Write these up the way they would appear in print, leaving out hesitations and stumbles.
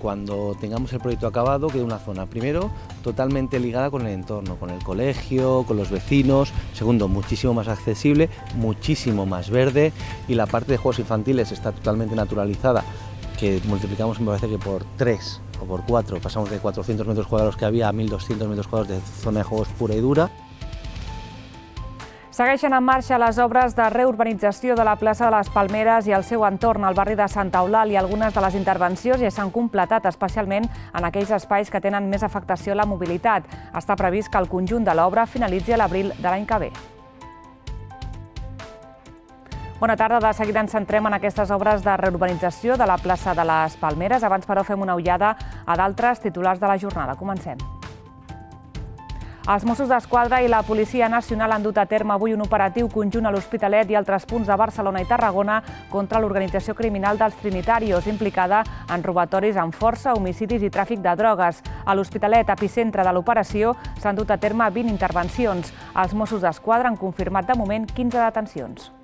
cuando tengamos el proyecto acabado, quede una zona, primero, totalmente ligada con el entorno, con el colegio, con los vecinos, segundo, muchísimo más accesible, muchísimo más verde, y la parte de juegos infantiles está totalmente naturalizada, que multiplicamos, me parece que por 3 o por 4, pasamos de 400 metros cuadrados que había a 1.200 metros cuadrados de zona de juegos pura i dura. Segueixen en marxa les obres de reurbanització de la plaça de les Palmeres i el seu entorn al barri de Santa Eulàlia. Algunes de les intervencions ja s'han completat, especialment en aquells espais que tenen més afectació a la mobilitat. Està previst que el conjunt de l'obra finalitzi a l'abril de l'any que ve. Bona tarda, de seguida ens centrem en aquestes obres de reurbanització de la plaça de les Palmeres. Abans, però, fem una ullada a d'altres titulars de la jornada. Comencem. Els Mossos d'Esquadra i la Policia Nacional han dut a terme avui un operatiu conjunt a l'Hospitalet i altres punts de Barcelona i Tarragona contra l'organització criminal dels Trinitarios, implicada en robatoris amb força, homicidis i tràfic de drogues. A l'Hospitalet, epicentre de l'operació, s'han dut a terme 20 intervencions. Els Mossos d'Esquadra han confirmat de moment 15 detencions.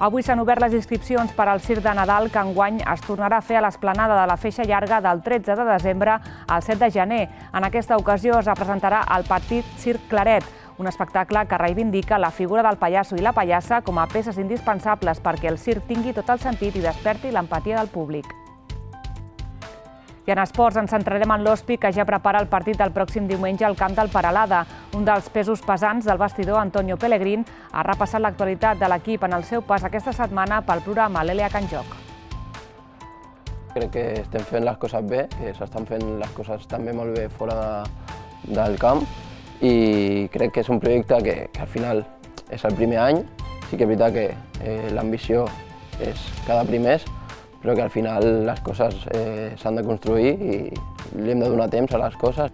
Avui s'han obert les inscripcions per al Circ de Nadal, que enguany es tornarà a fer a l'esplanada de la Feixa Llarga del 13 de desembre al 7 de gener. En aquesta ocasió es representarà el Petit Circ Claret, un espectacle que reivindica la figura del pallasso i la pallassa com a peces indispensables perquè el circ tingui tot el sentit i desperti l'empatia del públic. I en esports ens centrarem en l'Hospi, que ja prepara el partit del pròxim diumenge al camp del Peralada. Un dels pesos pesants del vestidor, Antonio Pellegrín, ha repassat l'actualitat de l'equip en el seu pas aquesta setmana pel programa l'Elia Can Joc. Crec que estem fent les coses bé, que s'estan fent les coses també molt bé fora del camp, i crec que és un projecte que al final és el primer any. Sí que és veritat que l'ambició és cada primers, però que al final les coses s'han de construir i li hem de donar temps a les coses.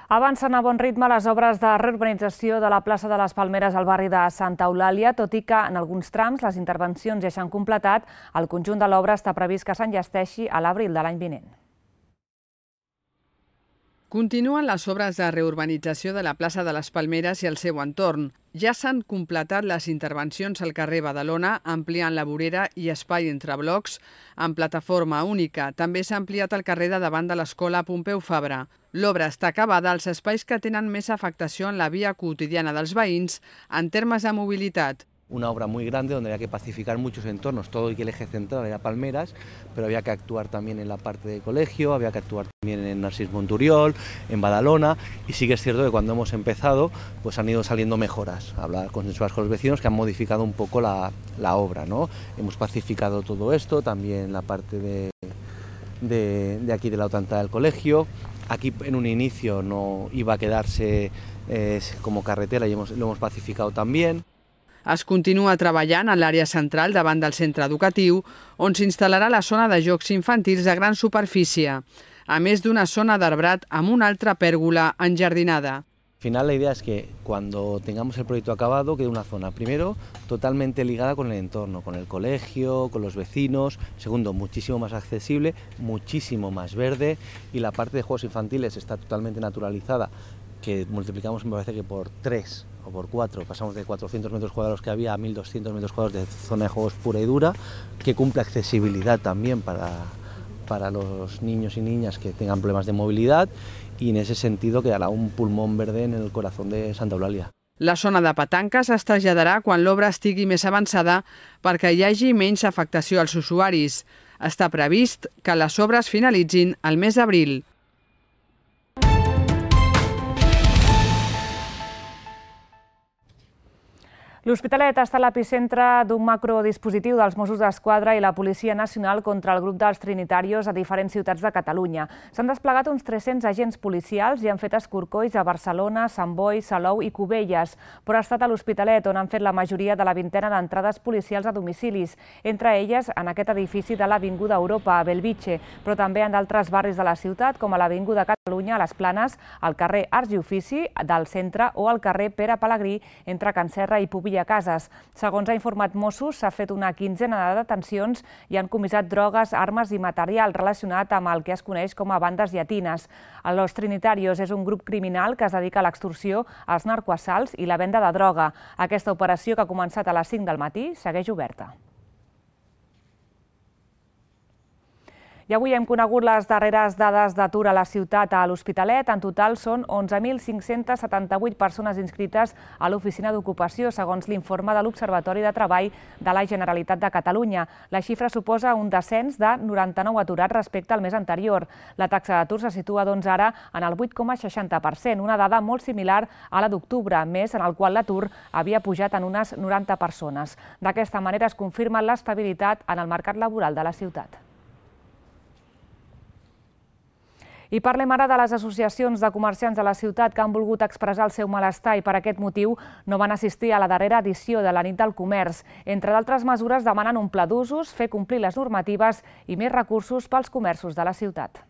Avancen a bon ritme les obres de reurbanització de la plaça de les Palmeres al barri de Santa Eulàlia, tot i que en alguns trams les intervencions ja s'han completat. El conjunt de l'obra està previst que s'enllesteixi a l'abril de l'any vinent. Continuen les obres de reurbanització de la plaça de les Palmeres i el seu entorn. Ja s'han completat les intervencions al carrer Badalona, ampliant la vorera i espai entre blocs amb plataforma única. També s'ha ampliat el carrer de davant de l'escola Pompeu Fabra. L'obra està acabada als espais que tenen més afectació en la via quotidiana dels veïns en termes de mobilitat. Una obra muy grande donde había que pacificar muchos entornos, todo y que el eje central era Palmeras, pero había que actuar también en la parte de colegio, había que actuar también en Narcís Monturiol, en Badalona, y sí que es cierto que cuando hemos empezado pues han ido saliendo mejoras, hablar consensuadas con los vecinos que han modificado un poco la obra, ¿no? Hemos pacificado todo esto, también la parte de aquí de la otra entrada del colegio. Aquí en un inicio no iba a quedarse como carretera y lo hemos pacificado también. Es continua treballant a l'àrea central davant del centre educatiu, on s'instal·larà la zona de jocs infantils de gran superfície, a més d'una zona d'arbrat amb una altra pèrgola enjardinada. Al final la idea es que cuando tengamos el proyecto acabado quede una zona, primero, totalmente ligada con el entorno, con el colegio, con los vecinos, segundo, muchísimo más accesible, muchísimo más verde, y la parte de juegos infantiles está totalmente naturalizada, que multiplicamos, me parece que por 3 o por 4, pasamos de 400 metros cuadrados que había a 1.200 metros cuadrados de zona de juegos pura y dura, que cumple accesibilidad también para los niños y niñas que tengan problemas de movilidad, y en ese sentido quedará un pulmón verde en el corazón de Santa Eulàlia. La zona de petanques es traslladarà quan l'obra estigui més avançada perquè hi hagi menys afectació als usuaris. Està previst que les obres finalitzin al mes d'abril. L'Hospitalet està a l'epicentre d'un macrodispositiu dels Mossos d'Esquadra i la Policia Nacional contra el grup dels Trinitarios a diferents ciutats de Catalunya. S'han desplegat uns 300 agents policials i han fet escorcolls a Barcelona, Sant Boi, Salou i Cubelles, però ha estat a l'Hospitalet on han fet la majoria de la vintena d'entrades policials a domicilis, entre elles en aquest edifici de l'Avinguda Europa, a Bellvitge, però també en d'altres barris de la ciutat, com a l'Avinguda Catalunya, a les Planes, al carrer Arts i Ofici del centre o al carrer Pere Pelegrí, entre Can Serra i Pubill Villacases. Segons ha informat Mossos, s'ha fet una quinzena de detencions i han comissat drogues, armes i material relacionat amb el que es coneix com a bandes llatines. Los Trinitarios és un grup criminal que es dedica a l'extorsió, als narcoassalts i la venda de droga. Aquesta operació, que ha començat a les 5 del matí, segueix oberta. I avui hem conegut les darreres dades d'atur a la ciutat a l'Hospitalet. En total són 11.578 persones inscrites a l'Oficina d'Ocupació, segons l'informe de l'Observatori de Treball de la Generalitat de Catalunya. La xifra suposa un descens de 99 aturats respecte al mes anterior. La taxa d'atur se situa doncs ara en el 8,60%, una dada molt similar a la d'octubre, mes en el qual l'atur havia pujat en unes 90 persones. D'aquesta manera es confirma l'estabilitat en el mercat laboral de la ciutat. I parlem ara de les associacions de comerciants de la ciutat que han volgut expressar el seu malestar i per aquest motiu no van assistir a la darrera edició de la Nit del Comerç. Entre d'altres mesures, demanen un pla d'usos, fer complir les normatives i més recursos pels comerços de la ciutat.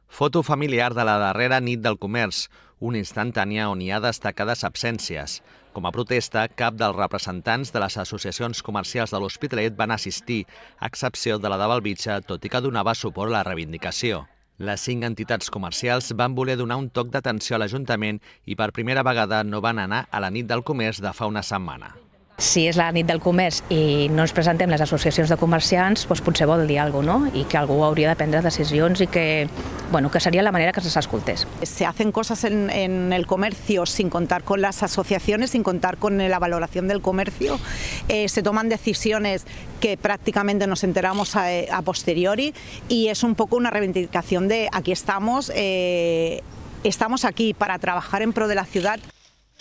Foto familiar de la darrera Nit del Comerç, una instantània on hi ha destacades absències. Com a protesta, cap dels representants de les associacions comercials de l'Hospitalet van assistir, a excepció de la de Bellvitge, tot i que donava suport a la reivindicació. Les 5 entitats comercials van voler donar un toc d'atenció a l'Ajuntament i per primera vegada no van anar a la Nit del Comerç de fa una setmana. Si és la Nit del Comerç i no ens presentem les associacions de comerciants, doncs potser vol dir alguna cosa, no? I que algú hauria de prendre decisions i que sería la manera que se escoltés. Se hacen cosas en el comercio sin contar con las asociaciones, sin contar con la valoración del comercio. Se toman decisiones que prácticamente nos enteramos a posteriori y es un poco una reivindicación de aquí estamos aquí para trabajar en pro de la ciudad.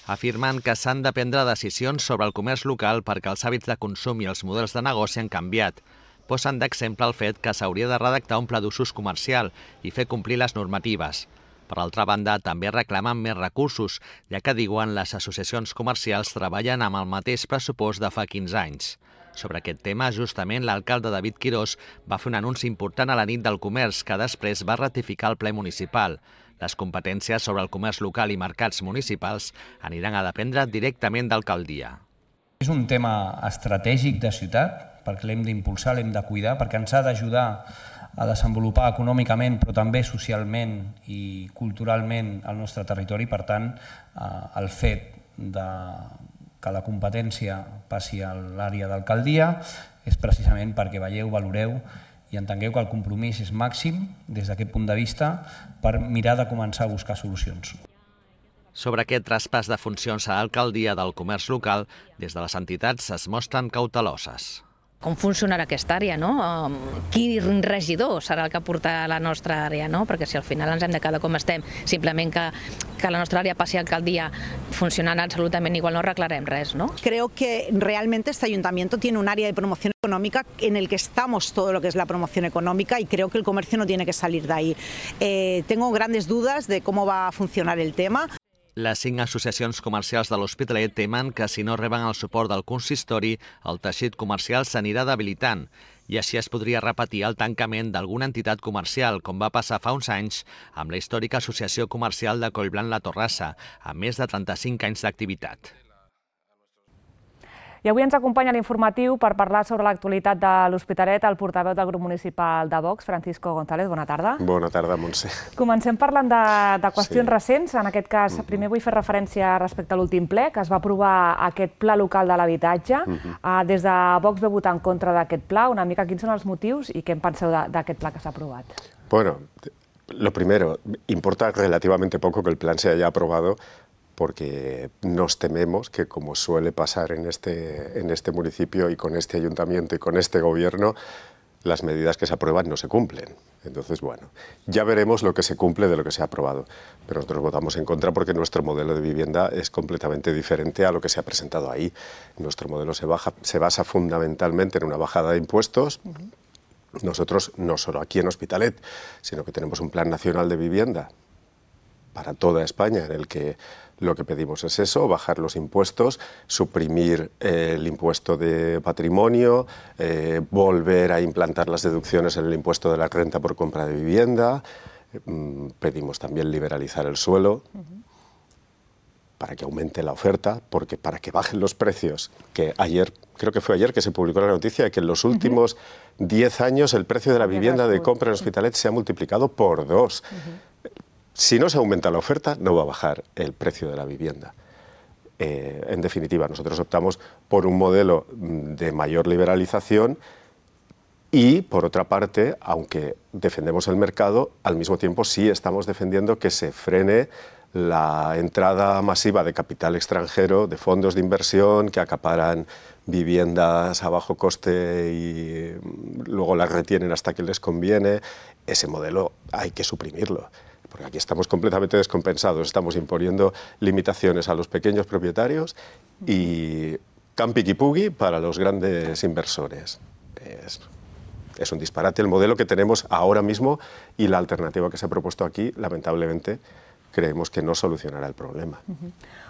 Afirmen que s'han de prendre decisions sobre el comerç local perquè els hàbits de consum i els models de negoci han canviat. Posen d'exemple el fet que s'hauria de redactar un pla d'usos comercial i fer complir les normatives. Per altra banda, també reclamen més recursos, ja que diuen les associacions comercials treballen amb el mateix pressupost de fa 15 anys. Sobre aquest tema, justament, l'alcalde David Quirós va fer un anunci important a la Nit del Comerç que després va ratificar el ple municipal. Les competències sobre el comerç local i mercats municipals aniran a dependre directament d'alcaldia. És un tema estratègic de ciutat, perquè l'hem d'impulsar, l'hem de cuidar, perquè ens ha d'ajudar a desenvolupar econòmicament, però també socialment i culturalment el nostre territori. Per tant, el fet que la competència passi a l'àrea d'alcaldia és precisament perquè veieu, valoreu i entengueu que el compromís és màxim des d'aquest punt de vista per mirar de començar a buscar solucions. Sobre aquest traspàs de funcions a l'alcaldia del comerç local, des de les entitats es mostren cauteloses. Com funcionarà aquesta àrea, no? Quin regidor serà el que portarà la nostra àrea, no? Perquè si al final ens hem de quedar com estem, simplement que la nostra àrea passi a alcaldia funcionant absolutament igual, no arreglarem res, ¿no? Creo que realmente este ayuntamiento tiene un área de promoción económica en el que estamos todo lo que es la promoción económica y creo que el comercio no tiene que salir de ahí. Tengo grandes dudas de cómo va a funcionar el tema. Les 5 associacions comercials de l'Hospitalet temen que si no reben el suport del consistori, el teixit comercial s'anirà debilitant i així es podria repetir el tancament d'alguna entitat comercial, com va passar fa uns anys amb la històrica Associació Comercial de Collblanc-La Torrassa, amb més de 35 anys d'activitat. I avui ens acompanya l'informatiu per parlar sobre l'actualitat de l'Hospitalet el portaveu del grup municipal de Vox, Francisco González. Bona tarda. Bona tarda, Montse. Comencem parlant de qüestions recents. En aquest cas, primer vull fer referència respecte a l'últim ple, que es va aprovar aquest pla local de l'habitatge. Des de Vox va votar en contra d'aquest pla. Una mica, quins són els motius i què en penseu d'aquest pla que s'ha aprovat? Bueno, lo primero, importa relativamente poco que el plan se haya aprobado porque nos tememos que, como suele pasar en este municipio y con este ayuntamiento y con este gobierno, las medidas que se aprueban no se cumplen. Entonces, bueno, ya veremos lo que se cumple de lo que se ha aprobado. Pero nosotros votamos en contra porque nuestro modelo de vivienda es completamente diferente a lo que se ha presentado ahí. Nuestro modelo se basa fundamentalmente en una bajada de impuestos. Nosotros, no solo aquí en Hospitalet, sino que tenemos un plan nacional de vivienda para toda España en el que lo que pedimos es eso, bajar los impuestos, suprimir el impuesto de patrimonio, volver a implantar las deducciones en el impuesto de la renta por compra de vivienda, pedimos también liberalizar el suelo. para que aumente la oferta, porque para que bajen los precios, que ayer, creo que fue ayer que se publicó la noticia de que en los últimos 10 años el precio de la vivienda de compra en Hospitalet se ha multiplicado por 2. Si no se aumenta la oferta, no va a bajar el precio de la vivienda. En definitiva, nosotros optamos por un modelo de mayor liberalización y, por otra parte, aunque defendemos el mercado, al mismo tiempo sí estamos defendiendo que se frene la entrada masiva de capital extranjero, de fondos de inversión que acaparan viviendas a bajo coste y luego las retienen hasta que les conviene. Ese modelo hay que suprimirlo, porque aquí estamos completamente descompensados, estamos imponiendo limitaciones a los pequeños propietarios y campi-qui-pugui para los grandes inversores. Es un disparate el modelo que tenemos ahora mismo y la alternativa que se ha propuesto aquí, lamentablemente, creemos que no solucionarà el problema.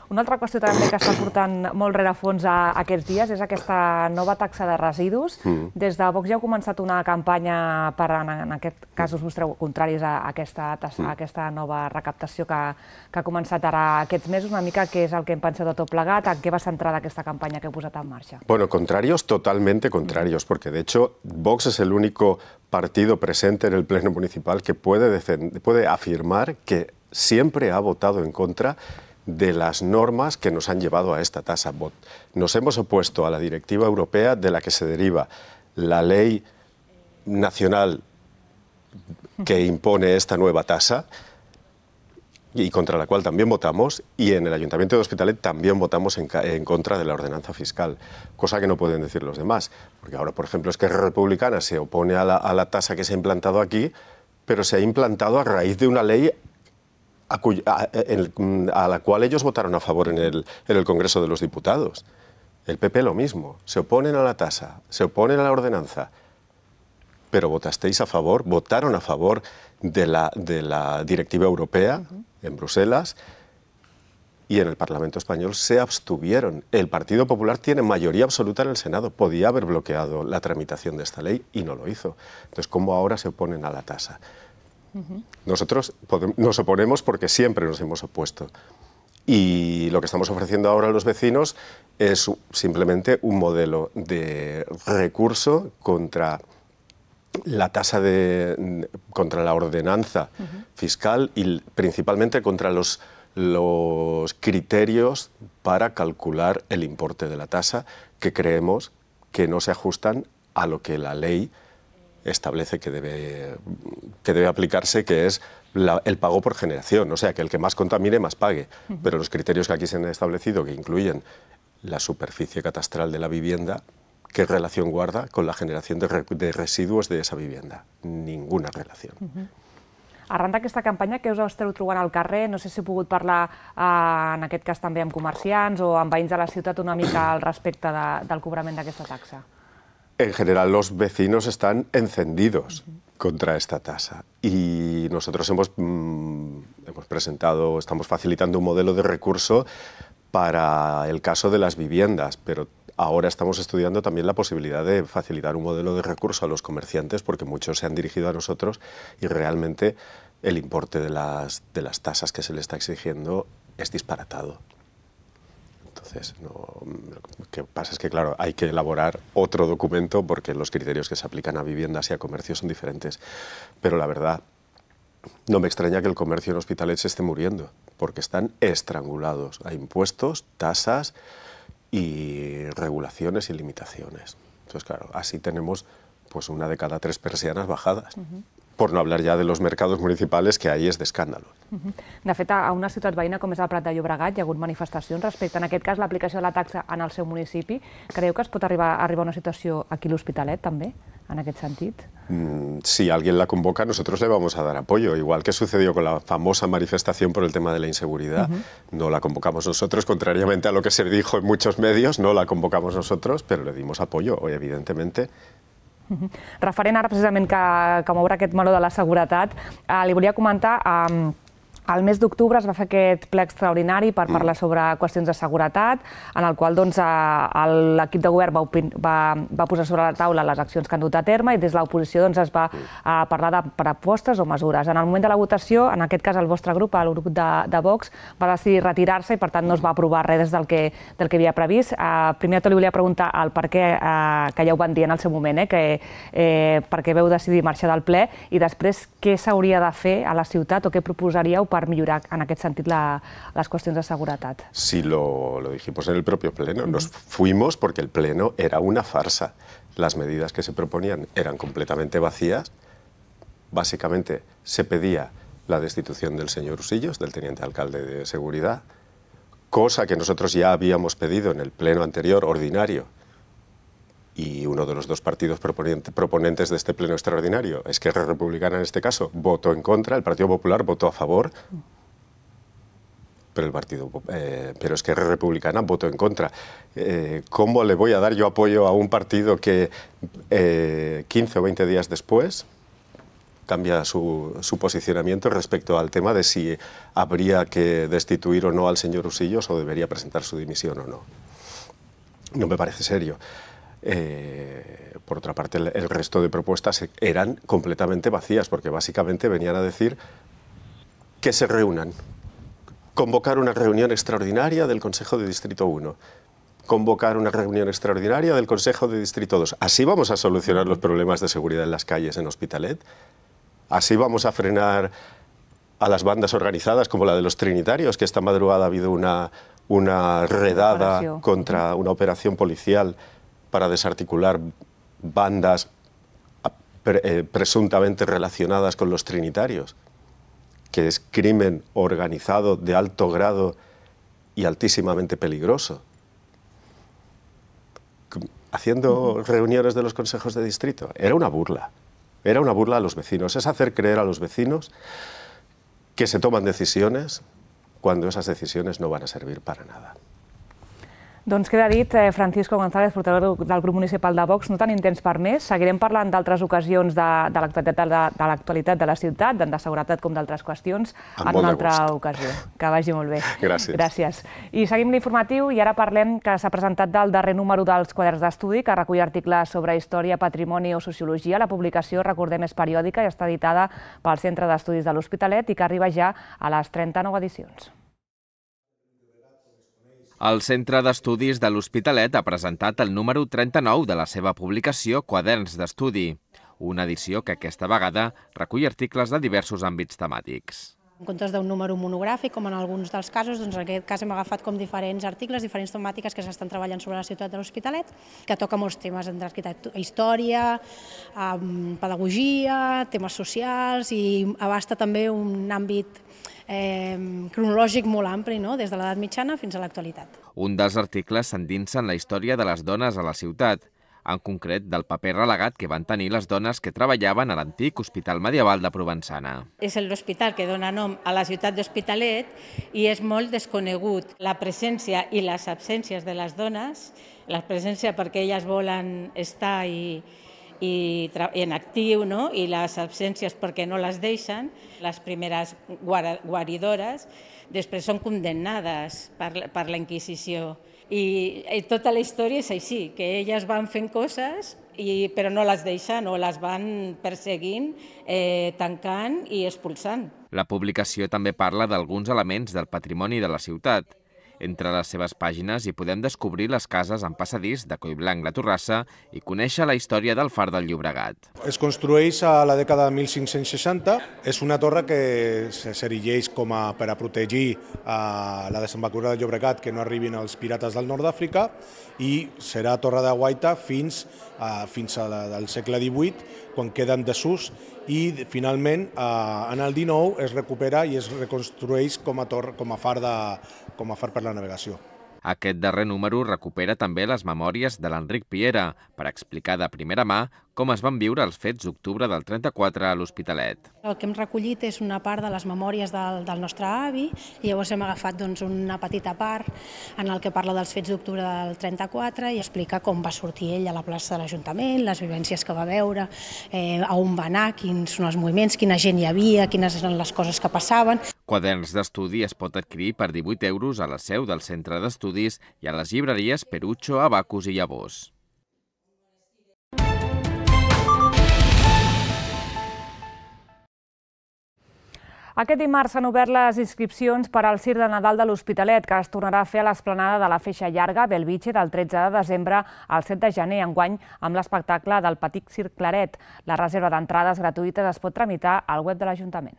Una altra qüestió també que està portant molt rerefons aquests dies és aquesta nova taxa de residus. Des de Vox ja heu començat una campanya per, en aquest cas, us mostreu contraris a aquesta nova recaptació que ha començat ara aquests mesos. Una mica què és el que hem pensat de tot plegat, en què va centrada aquesta campanya que heu posat en marxa? Bueno, contrarios, totalmente contrarios, porque de hecho Vox es el único partido presente en el Pleno Municipal que puede afirmar que siempre ha votado en contra de las normas que nos han llevado a esta tasa. Nos hemos opuesto a la directiva europea de la que se deriva la ley nacional que impone esta nueva tasa y contra la cual también votamos, y en el Ayuntamiento de Hospitalet también votamos en contra de la ordenanza fiscal, cosa que no pueden decir los demás, porque ahora, por ejemplo, Esquerra Republicana se opone a la tasa que se ha implantado aquí, pero se ha implantado a raíz de una ley a la cual ellos votaron a favor en el Congreso de los Diputados. El PP lo mismo, se oponen a la tasa, se oponen a la ordenanza, pero votaron a favor de la directiva europea en Bruselas y en el Parlamento español se abstuvieron. El Partido Popular tiene mayoría absoluta en el Senado, podía haber bloqueado la tramitación de esta ley y no lo hizo. Entonces, ¿cómo ahora se oponen a la tasa? Nosotros nos oponemos porque siempre nos hemos opuesto. Y lo que estamos ofreciendo ahora a los vecinos es simplemente un modelo de recurso contra la tasa contra la ordenanza fiscal y principalmente contra los criterios para calcular el importe de la tasa, que creemos que no se ajustan a lo que la ley establece que debe aplicarse, que es el pago por generación, o sea, que el que más contamine más pague. Pero los criterios que aquí se han establecido, que incluyen la superficie catastral de la vivienda, ¿qué relación guarda con la generación de residuos de esa vivienda? Ninguna relación. Arran d'aquesta campanya, què us esteu trobant al carrer? No sé si heu pogut parlar, en aquest cas també amb comerciants o amb veïns de la ciutat, una mica al respecte del cobrament d'aquesta taxa. En general, los vecinos están encendidos contra esta tasa y nosotros hemos presentado, estamos facilitando un modelo de recurso para el caso de las viviendas, pero ahora estamos estudiando también la posibilidad de facilitar un modelo de recurso a los comerciantes, porque muchos se han dirigido a nosotros y realmente el importe de las tasas que se le está exigiendo es disparatado. Entonces, lo que pasa es que, claro, hay que elaborar otro documento porque los criterios que se aplican a viviendas y a comercio son diferentes. Pero la verdad, no me extraña que el comercio en Hospitalet se esté muriendo, porque están estrangulados a impuestos, tasas y regulaciones y limitaciones. Entonces, claro, así tenemos pues una de cada 3 persianas bajadas. Por no hablar ya de los mercados municipales, que ahí és d'escàndalo. De fet, a una ciutat veïna com és el Prat de Llobregat hi ha hagut manifestacions respecte, en aquest cas, l'aplicació de la taxa en el seu municipi. Creieu que es pot arribar a una situació aquí a l'Hospitalet, també, en aquest sentit? Si alguien la convoca, nosotros le vamos a dar apoyo. Igual que sucedió con la famosa manifestación por el tema de la inseguridad, no la convocamos nosotros, contrariamente a lo que se dijo en muchos medios, no la convocamos nosotros, pero le dimos apoyo, evidentemente. Referent ara precisament que m'obre aquest meló de la seguretat, li volia comentar Al mes d'octubre es va fer aquest ple extraordinari per parlar sobre qüestions de seguretat, en el qual l'equip de govern va posar sobre la taula les accions que han dut a terme i des de l'oposició es va parlar de propostes o mesures. En el moment de la votació, en aquest cas el vostre grup, el grup de Vox, va decidir retirar-se i per tant no es va aprovar res del que havia previst. Primer de tot li volia preguntar el per què, que ja ho van dir en el seu moment, per què veu decidir marxar del ple i després què s'hauria de fer a la ciutat o què proposaríeu per millorar en aquest sentit les qüestions de seguretat. Sí, lo dijimos en el propio Pleno. Nos fuimos porque el Pleno era una farsa. Las medidas que se proponían eran completamente vacías. Básicamente se pedía la destitución del señor Usillos, del teniente alcalde de Seguridad, cosa que nosotros ya habíamos pedido en el Pleno anterior, ordinario, y uno de los dos partidos proponentes de este Pleno extraordinario, Esquerra Republicana en este caso, votó en contra, el Partido Popular votó a favor, pero Esquerra Republicana votó en contra. ¿Cómo le voy a dar yo apoyo a un partido que 15 o 20 días después cambia su posicionamiento respecto al tema de si habría que destituir o no al señor Usillos o debería presentar su dimisión o no? No me parece serio. Por otra parte, el resto de propuestas eran completamente vacías, porque básicamente venían a decir que se reúnan, convocar una reunión extraordinaria del Consejo de Distrito 1, convocar una reunión extraordinaria del Consejo de Distrito 2. Así vamos a solucionar los problemas de seguridad en las calles en Hospitalet, así vamos a frenar a las bandas organizadas como la de los Trinitarios, que esta madrugada ha habido una redada contra una operación policial para desarticular bandas presuntamente relacionadas con los Trinitarios, que es crimen organizado de alto grado y altísimamente peligroso. Haciendo reuniones de los consejos de distrito, era una burla a los vecinos, es hacer creer a los vecinos que se toman decisiones cuando esas decisiones no van a servir para nada. Doncs queda dit, Francisco González, portaveu del grup municipal de Vox, no tenim temps per més. Seguirem parlant d'altres ocasions de l'actualitat de la ciutat, tant de seguretat com d'altres qüestions, en una altra ocasió. Que vagi molt bé. Gràcies. I seguim l'informatiu i ara parlem que s'ha presentat el darrer número dels quaderns d'estudi, que recull articles sobre història, patrimoni o sociologia. La publicació, recordem, és periòdica i està editada pel Centre d'Estudis de l'Hospitalet i que arriba ja a les 39 edicions. El Centre d'Estudis de l'Hospitalet ha presentat el número 39 de la seva publicació Quaderns d'Estudi, una edició que aquesta vegada recull articles de diversos àmbits temàtics. En comptes d'un número monogràfic, com en alguns dels casos, doncs en aquest cas hem agafat com diferents articles, diferents temàtiques que s'estan treballant sobre la ciutat de l'Hospitalet, que toca molts temes d'arquitectura, història, pedagogia, temes socials i abasta també un àmbit cronològic molt ampli, des de l'edat mitjana fins a l'actualitat. Un dels articles s'endinsa en la història de les dones a la ciutat, en concret del paper relegat que van tenir les dones que treballaven a l'antic Hospital Medieval de Provençana. És l'hospital que dona nom a la ciutat d'Hospitalet i és molt desconegut la presència i les absències de les dones, la presència perquè elles volen estar en actiu, i les absències perquè no les deixen. Les primeres guaridores després són condemnades per la Inquisició. I tota la història és així, que elles van fent coses però no les deixen o les van perseguint, tancant i expulsant. La publicació també parla d'alguns elements del patrimoni de la ciutat. Entre les seves pàgines hi podem descobrir les cases en passadís de Collblanc la Torrassa i conèixer la història del Far del Llobregat. Es construeix a la dècada de 1560. És una torre que s'erigeix per a protegir la desembocadura del Llobregat, que no arribin els pirates del nord d'Àfrica, i serà torre de guaita fins al segle XVIII, quan queda en desús, i finalment en el XIX es recupera i es reconstrueix com a far per la navegació. Aquest darrer número recupera també les memòries de l'Enric Piera per explicar de primera mà com es van viure els fets d'octubre del 34 a l'Hospitalet. El que hem recollit és una part de les memòries del nostre avi i llavors hem agafat una petita part en el que parla dels fets d'octubre del 34 i explica com va sortir ell a la plaça de l'Ajuntament, les vivències que va veure, a on va anar, quins són els moviments, quina gent hi havia, quines eren les coses que passaven. Quaderns d'estudi es pot adquirir per 18 € a la seu del Centre d'Estudis i a les llibreries Perucho, Abacus i Llavors. Aquest dimarts s'han obert les inscripcions per al Circ de Nadal de l'Hospitalet, que es tornarà a fer a l'esplanada de la Feixa Llarga, Belvitge, del 13 de desembre al 7 de gener, enguany amb l'espectacle del Petit Circ Claret. La reserva d'entrades gratuïtes es pot tramitar al web de l'Ajuntament.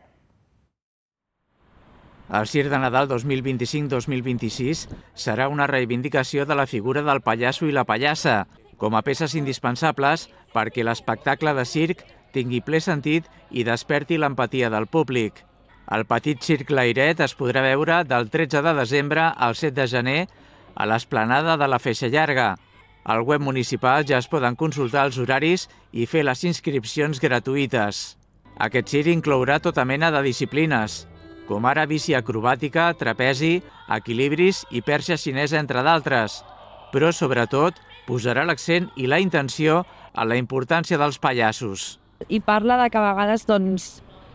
El Circ de Nadal 2025-2026 serà una reivindicació de la figura del pallasso i la pallassa, com a peces indispensables perquè l'espectacle de circ tingui ple sentit i desperti l'empatia del públic. El Petit Circ Claret es podrà veure del 13 de desembre al 7 de gener a l'esplanada de la Feixa Llarga. Al web municipal ja es poden consultar els horaris i fer les inscripcions gratuïtes. Aquest circ inclourà tota mena de disciplines, com ara bici acrobàtica, trapezi, equilibris i perxa xinesa, entre d'altres. Però, sobretot, posarà l'accent i la intenció a la importància dels pallassos. I parla de que a vegades,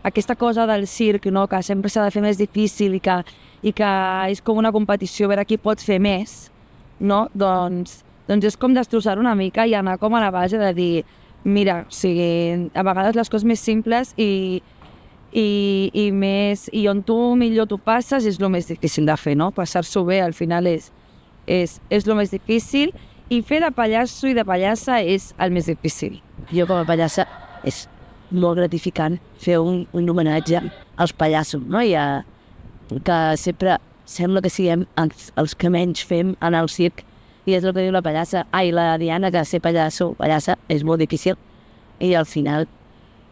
aquesta cosa del circ, que sempre s'ha de fer més difícil i que és com una competició, a veure qui pot fer més, doncs és com destrossar una mica i anar com a la base de dir, mira, a vegades les coses més simples i on tu millor t'ho passes és el més difícil de fer, no? Passar-s'ho bé al final és el més difícil i fer de pallasso i de pallassa és el més difícil. Jo com a pallassa és molt gratificant fer un homenatge als pallassos, no? Que sempre sembla que siguem els que menys fem en el circ i és el que diu la pallassa. La Diana, que ser pallassa és molt difícil i al final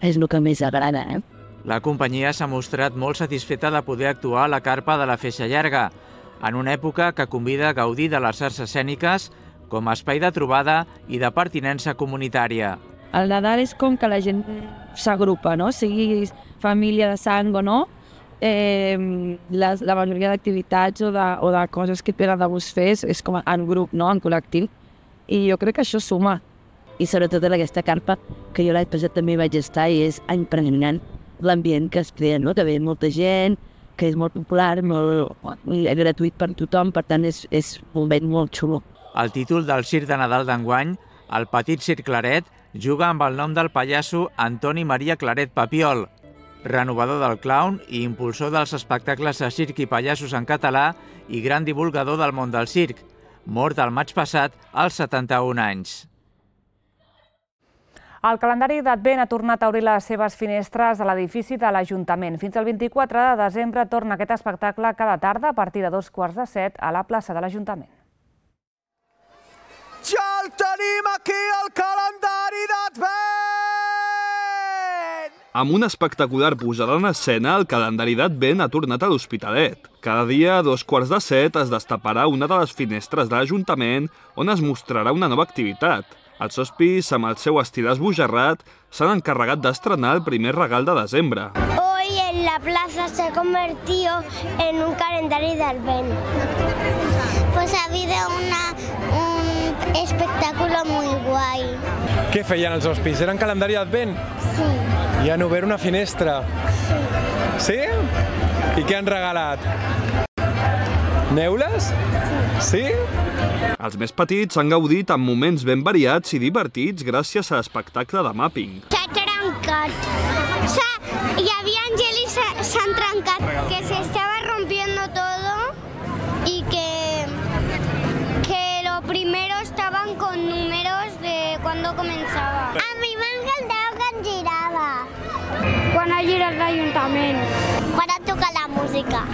és el que més agrada, La companyia s'ha mostrat molt satisfeta de poder actuar a la carpa de la Feixa Llarga, en una època que convida a gaudir de les arts escèniques com a espai de trobada i de pertinença comunitària. El Nadal és com que la gent s'agrupa, sigui família de sang o no, la majoria d'activitats o de coses que et venen de gust fer és com en grup, en col·lectiu, i jo crec que això suma. I sobretot en aquesta carpa, que jo l'any passat també vaig estar i és impressionant l'ambient que es crea, que ve molta gent, que és molt popular, molt gratuït per tothom, per tant és un moment molt xulo. El títol del Circ de Nadal d'enguany, el Petit Circ Claret, juga amb el nom del pallasso Antoni Maria Claret Papiol, renovador del clown i impulsor dels espectacles de circ i pallassos en català i gran divulgador del món del circ, mort el maig passat als 71 anys. El calendari d'Advent ha tornat a obrir les seves finestres a l'edifici de l'Ajuntament. Fins al 24 de desembre torna aquest espectacle cada tarda a partir de 6:45 a la plaça de l'Ajuntament. Ja el tenim aquí, el calendari d'Advent! Amb una espectacular posada en escena, el calendari d'Advent ha tornat a l'Hospitalet. Cada dia a 6:45 es destaparà una de les finestres de l'Ajuntament on es mostrarà una nova activitat. Els hospis, amb el seu estil esbojarrat, s'han encarregat d'estrenar el primer regal de desembre. Hoy en la plaza se ha convertido en un calendario de Advent. Pues ha habido un espectáculo muy guay. Què feien els hospis? Eren calendari d'Advent? Sí. I han obert una finestra? Sí. Sí? I què han regalat? Neules? Sí. Els més petits han gaudit amb moments ben variats i divertits gràcies a l'espectacle de mapping. S'ha trencat. Hi havia gel i s'han trencat. Que se estaba rompiendo todo y que lo primero estaban con números de cuando comenzaba. A mi m'encantava quan girava. Quan ha girat l'Ajuntament. Quan ha tocat la música.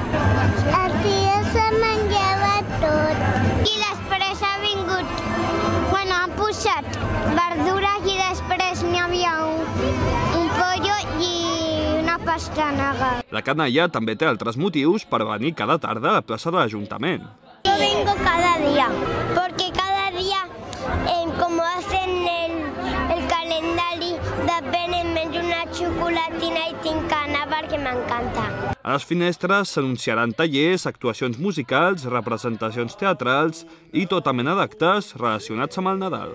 Els dies se menjava tot. I després ha vingut, han posat verdures i després n'hi havia un pollo i una pastanaga. La canalla també té altres motius per venir cada tarda a la plaça de l'Ajuntament. Yo vengo cada día, porque cada día, como hacen el calendario, d'Advent em menjo una xocolatina i tinc gana perquè m'encanta. A les finestres s'anunciaran tallers, actuacions musicals, representacions teatrals i tota mena d'actes relacionats amb el Nadal.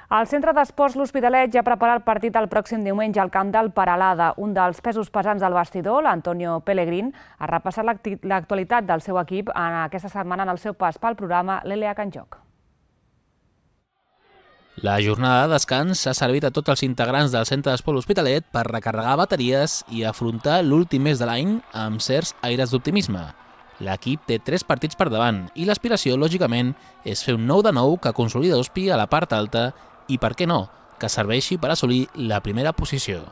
El Centre d'Esports L'Hospitalet ja prepara el partit el pròxim diumenge al camp del Peralada. Un dels pesos pesants del vestidor, l'Antonio Pellegrin, ha repassat l'actualitat del seu equip aquesta setmana en el seu pas pel programa l'LH en joc. La jornada de descans ha servit a tots els integrants del Centre d'Esports L'Hospitalet per recarregar bateries i afrontar l'últim mes de l'any amb certs aires d'optimisme. L'equip té 3 partits per davant i l'aspiració, lògicament, és fer un 9 de 9 que consolida Hospi a la part alta i, per què no, que serveixi per assolir la primera posició.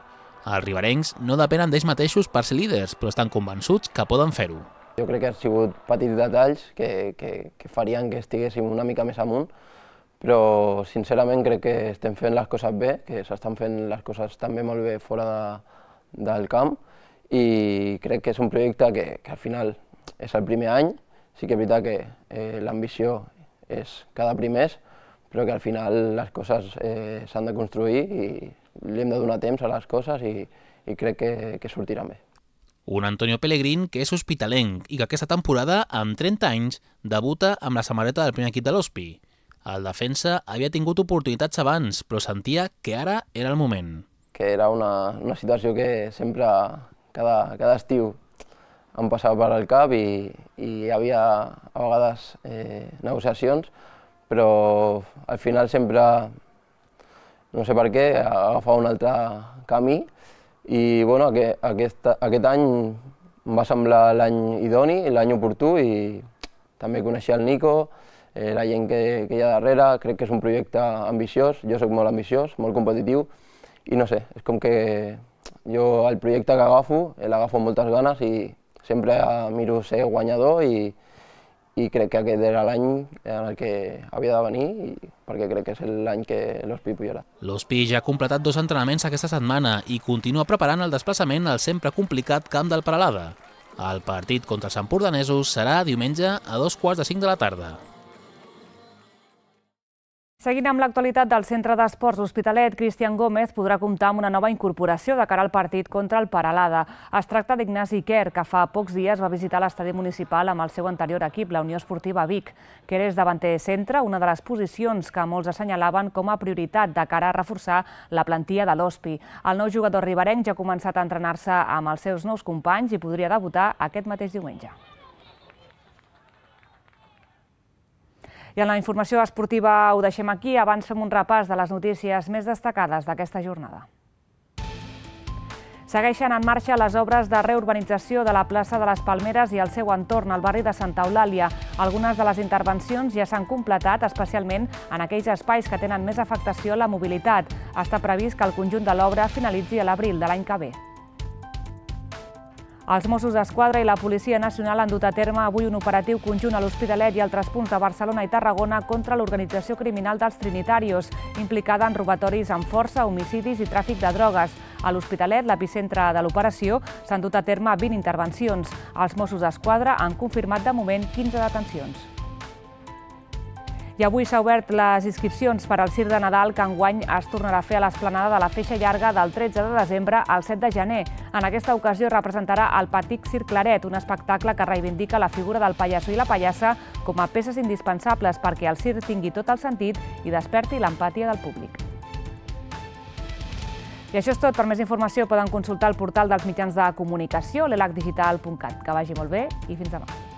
Els riberencs no depenen d'ells mateixos per ser líders, però estan convençuts que poden fer-ho. Jo crec que han sigut petits detalls que farien que estiguéssim una mica més amunt, però sincerament crec que estem fent les coses bé, que s'estan fent les coses també molt bé fora del camp, i crec que és un projecte que al final és el primer any. Sí que és veritat que l'ambició és cada primers, però que al final les coses s'han de construir i li hem de donar temps a les coses i crec que sortiran bé. Un Antonio Pellegrin que és hospitalenc i que aquesta temporada, amb 30 anys, debuta amb la samarreta del primer equip de l'Hospi. El defensa havia tingut oportunitats abans, però sentia que ara era el moment. Que era una situació que sempre, cada estiu, em passava per al cap i hi havia a vegades negociacions, però al final sempre, no sé per què, agafava un altre camí i bueno, aquest any em va semblar l'any idoni, l'any oportú, i també coneixia el Nico, la gent que hi ha darrere. Crec que és un projecte ambiciós, jo soc molt ambiciós, molt competitiu i no sé, és com que jo el projecte que agafo, l'agafo amb moltes ganes i sempre miro ser guanyador i crec que aquest era l'any en el que havia de venir, perquè crec que és l'any que l'Hospi pujarà. L'Hospi ja ha completat 2 entrenaments aquesta setmana i continua preparant el desplaçament al sempre complicat camp del Peralada. El partit contra els empordanesos serà diumenge a 2:45 de la tarda. Seguint amb l'actualitat del Centre d'Esports L'Hospitalet, Cristian Gómez podrà comptar amb una nova incorporació de cara al partit contra el Peralada. Es tracta d'Ignasi Quer, que fa pocs dies va visitar l'estadi municipal amb el seu anterior equip, la Unió Esportiva Vic. Quer és davanter centre, una de les posicions que molts assenyalaven com a prioritat de cara a reforçar la plantilla de l'Hospi. El nou jugador riberenc ja ha començat a entrenar-se amb els seus nous companys i podria debutar aquest mateix diumenge. I en la informació esportiva ho deixem aquí. Abans fem un repàs de les notícies més destacades d'aquesta jornada. Segueixen en marxa les obres de reurbanització de la plaça de les Palmeres i el seu entorn, al barri de Santa Eulàlia. Algunes de les intervencions ja s'han completat, especialment en aquells espais que tenen més afectació a la mobilitat. Està previst que el conjunt de l'obra finalitzi a l'abril de l'any que ve. Els Mossos d'Esquadra i la Policia Nacional han dut a terme avui un operatiu conjunt a l'Hospitalet i altres punts de Barcelona i Tarragona contra l'organització criminal dels Trinitarios, implicada en robatoris amb força, homicidis i tràfic de drogues. A l'Hospitalet, l'epicentre de l'operació, s'han dut a terme 20 intervencions. Els Mossos d'Esquadra han confirmat de moment 15 detencions. I avui s'ha obert les inscripcions per al Circ de Nadal, que enguany es tornarà a fer a l'esplanada de la Feixa Llarga del 13 de desembre al 7 de gener. En aquesta ocasió representarà el Petit Circ Claret, un espectacle que reivindica la figura del pallasso i la pallassa com a peces indispensables perquè el circ tingui tot el sentit i desperti l'empàtia del públic. I això és tot. Per més informació poden consultar el portal dels mitjans de comunicació, l'elhdigital.cat. Que vagi molt bé i fins demà.